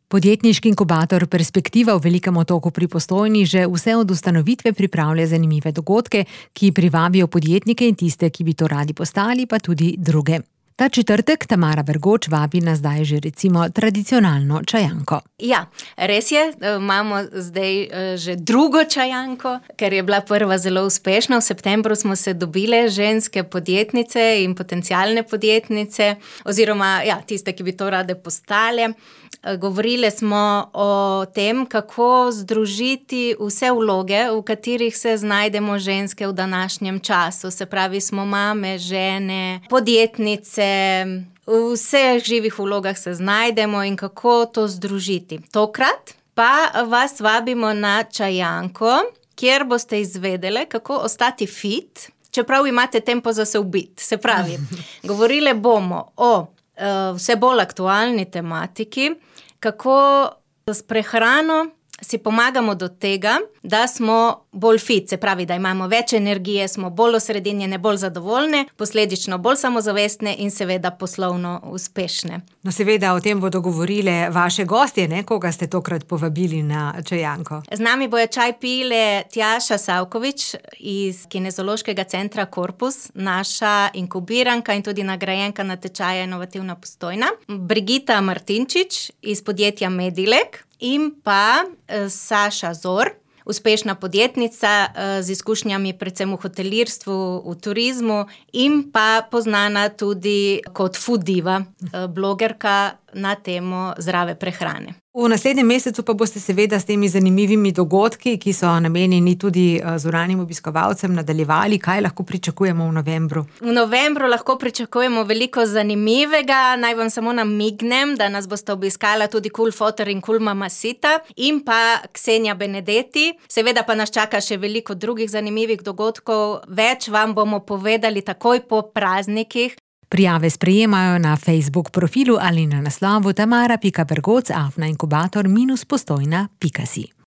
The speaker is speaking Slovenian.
Podjetniški inkubator Perspektiva v Velikem Otoku pri Postojni že vse od ustanovitve pripravlja zanimive dogodke, ki privabijo podjetnike in tiste, ki bi to radi postali, pa tudi druge. Ta četrtek Tamara Bergoč vabi na zdaj že recimo tradicionalno čajanko. Ja, res je, imamo zdaj že drugo čajanko, ker je bila prva zelo uspešna. V septembru smo se dobile ženske podjetnice in potencialne podjetnice, oziroma tiste, ki bi to rade postale. Govorile smo o tem, kako združiti vse vloge, v katerih se znajdemo ženske v današnjem času. Se pravi, smo mame, žene, podjetnice, v vseh živih vlogah se znajdemo in kako to združiti. Tokrat pa vas vabimo na čajanko, kjer boste izvedele, kako ostati fit, čeprav imate tempo za se ubiti. Se pravi, govorile bomo o vse bolj aktualni tematiki, kako s prehrano si pomagamo do tega, da smo bolj fit, se pravi, da imamo več energije, smo bolj osredinjene, bolj zadovoljne, posledično bolj samozavestne in seveda poslovno uspešne. No, seveda o tem bodo govorile vaše gostje, ne? Koga ste tokrat povabili na čajanko? Z nami bojo čaj pile Tjaša Savkovič iz Kinezološkega centra Korpus, naša inkubiranka in tudi nagrajenka na tečaju Inovativna Postojna, Brigita Martinčič iz podjetja Medilek in pa Saša Zor, uspešna podjetnica z izkušnjami predvsem v hotelirstvu, v turizmu in pa poznana tudi kot food diva, blogerka na temo zdrave prehrane. V naslednjem mesecu pa boste seveda s temi zanimivimi dogodki, ki so namenjeni tudi zunanjim obiskovalcem, nadaljevali. Kaj lahko pričakujemo v novembru? V novembru lahko pričakujemo veliko zanimivega. Naj vam samo namignem, da nas boste obiskala tudi Cool Foter in Cool Mama Sita in pa Ksenija Benedetti. Seveda pa nas čaka še veliko drugih zanimivih dogodkov. Več vam bomo povedali takoj po praznikih. Prijave sprejemajo na Facebook profilu ali na naslovu tamara.bergoc@inkubator-postojna.si.